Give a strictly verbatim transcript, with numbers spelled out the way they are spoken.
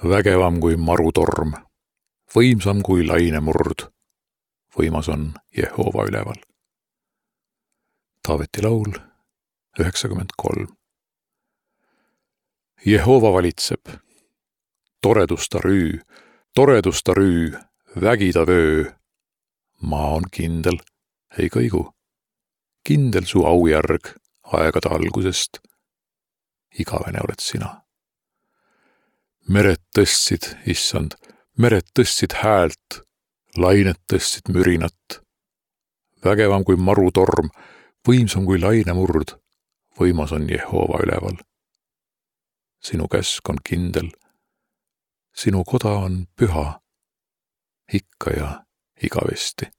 Vägevam kui marutorm, võimsam kui lainemurd, võimas on Jehova üleval. Taaveti laul üheksakümmend kolm. Jehova valitseb, toredusta rüü, toredusta rüü, vägida vöö. Maa on kindel, ei kõigu, kindel su aujärg aegade algusest. Igavene oled sina. Mered tõstsid, issand, mered tõstsid häält, lained tõstsid mürinat. Vägevam kui marutorm, võimsam kui lainemurd, võimas on Jehova üleval. Sinu käsk on kindel, sinu koda on püha, ikka ja igavesti.